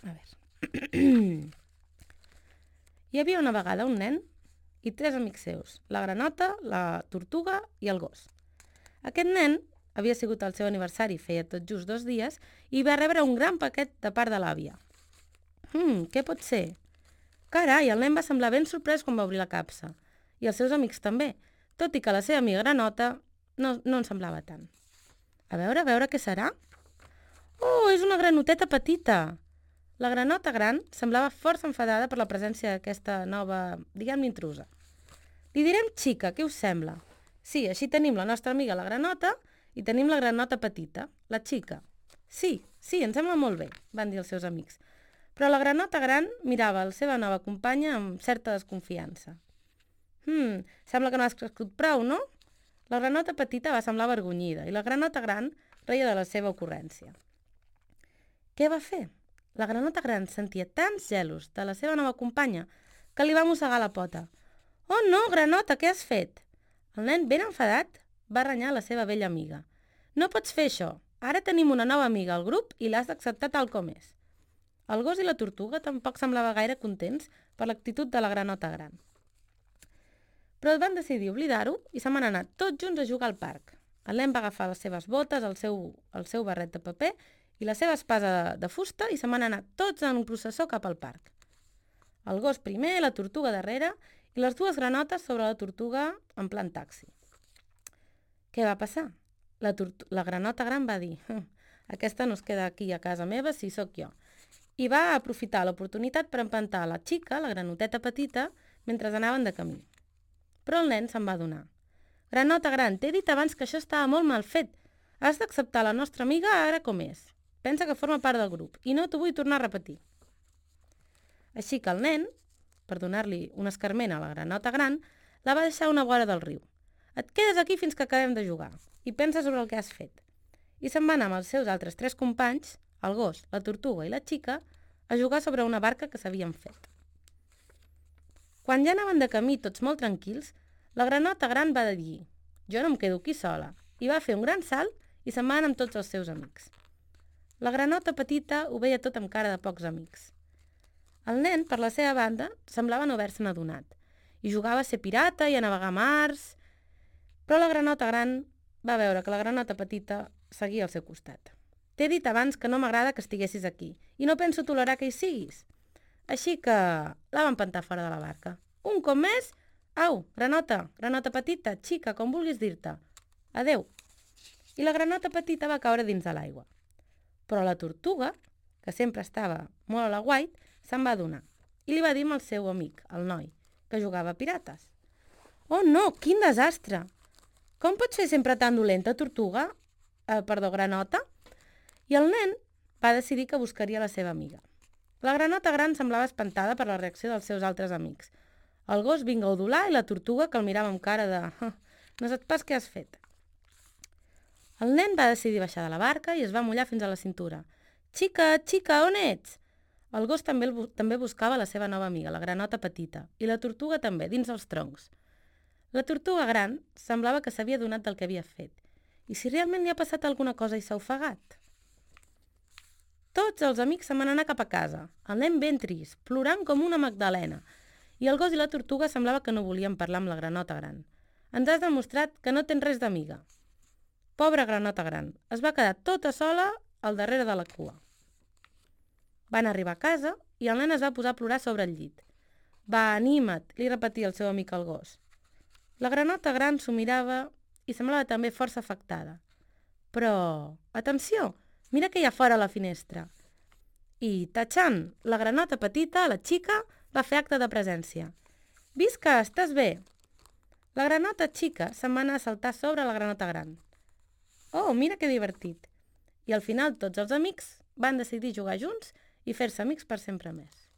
A veure. Hi havia una vegada un nen i 3 amics seus, la granota, la tortuga i el gos. Aquest nen havia sigut el seu aniversari, feia tot just 2 dies, i va rebre un gran paquet de part de l'àvia. Què pot ser? Carai, el nen va semblar ben sorprès quan va obrir la capsa. I els seus amics també, tot i que la seva amiga granota no en semblava tant. A veure què serà? Oh, és una granoteta petita! La granota gran semblava força enfadada per la presència d'aquesta nova, diguem-ne, intrusa. Li direm xica, què us sembla? Sí, així tenim la nostra amiga la granota i tenim la granota petita, la xica. Sí, em sembla molt bé, van dir els seus amics. Però la granota gran mirava la seva nova companya amb certa desconfiança. Sembla que no has crescut prou, no? La granota petita va semblar avergonyida i la granota gran reia de la seva ocurrència. Què va fer? La granota gran sentia tants gelos de la seva nova companya que li va mossegar la pota. Oh no, granota, què has fet? El nen, ben enfadat, va renyar la seva vella amiga. No pots fer això. Ara tenim una nova amiga al grup i l'has d'acceptar tal com és. El gos i la tortuga tampoc semblava gaire contents per l'actitud de la granota gran. Però van decidir oblidar-ho i se'n van anar tots junts a jugar al parc. El nen va agafar les seves botes, el seu barret de paper i la seva espasa de fusta i se'n van anar tots en un processó cap al parc. El gos primer, la tortuga darrere i les 2 granotes sobre la tortuga en plan taxi. Què va passar? La granota gran va dir aquesta no es queda aquí a casa meva si sóc jo. I va aprofitar l'oportunitat per empantar la xica, la granoteta petita, mentre anaven de camí. Però el nen se'n va adonar. Granota gran, t'he dit abans que això estava molt mal fet. Has d'acceptar la nostra amiga ara com és. Pensa que forma part del grup i no t'ho vull tornar a repetir. Així que el nen, per donar-li un escarment a la granota gran, la va deixar a una vora del riu. Et quedes aquí fins que acabem de jugar i pensa sobre el que has fet. I se'n va anar amb els seus altres 3 companys, el gos, la tortuga i la xica, a jugar sobre una barca que s'havien fet. Quan ja anaven de camí tots molt tranquils, la granota gran va dir «Jo no em quedo aquí sola» i va fer un gran salt i se'n va anar amb tots els seus amics. La granota petita ho veia tot amb cara de pocs amics. El nen, per la seva banda, semblava no haver-se'n adonat i jugava a ser pirata i a navegar mars, però la granota gran va veure que la granota petita seguia al seu costat. T'he dit abans que no m'agrada que estiguessis aquí i no penso tolerar que hi siguis. Així que la va empantar fora de la barca. Un cop més, au, granota petita, xica, com vulguis dir-te. Adeu. I la granota petita va caure dins de l'aigua. Però la tortuga, que sempre estava molt a la guait, se'n va adonar i li va dir al seu amic, el noi, que jugava a pirates. Oh no, quin desastre! Com pots ser sempre tan dolenta, tortuga? Granota? I el nen va decidir que buscaria la seva amiga. La granota gran semblava espantada per la reacció dels seus altres amics. El gos vinga a udolar i la tortuga que el mirava amb cara de no saps pas què has fet. El nen va decidir baixar de la barca i es va mullar fins a la cintura. Xica, on ets? El gos també buscava la seva nova amiga, la granota petita, i la tortuga també, dins els troncs. La tortuga gran semblava que s'havia adonat del que havia fet. I si realment li ha passat alguna cosa i s'ha ofegat? Tots els amics se'n van anar cap a casa, el nen ben trist, plorant com una magdalena, i el gos i la tortuga semblava que no volien parlar amb la granota gran. Ens has demostrat que no tens res d'amiga. Pobra granota gran, es va quedar tota sola al darrere de la cua. Van arribar a casa i el nen es va posar a plorar sobre el llit. Va, anima't, li repetia el seu amic el gos. La granota gran s'ho mirava i semblava també força afectada. Però, atenció, mira que hi ha fora a la finestra. I, tatxan, la granota petita, la xica, va fer acte de presència. Visca, estàs bé? La granota xica se'n va anar a saltar sobre la granota gran. Oh, mira que divertit. I al final tots els amics van decidir jugar junts i fer-se amics per sempre més.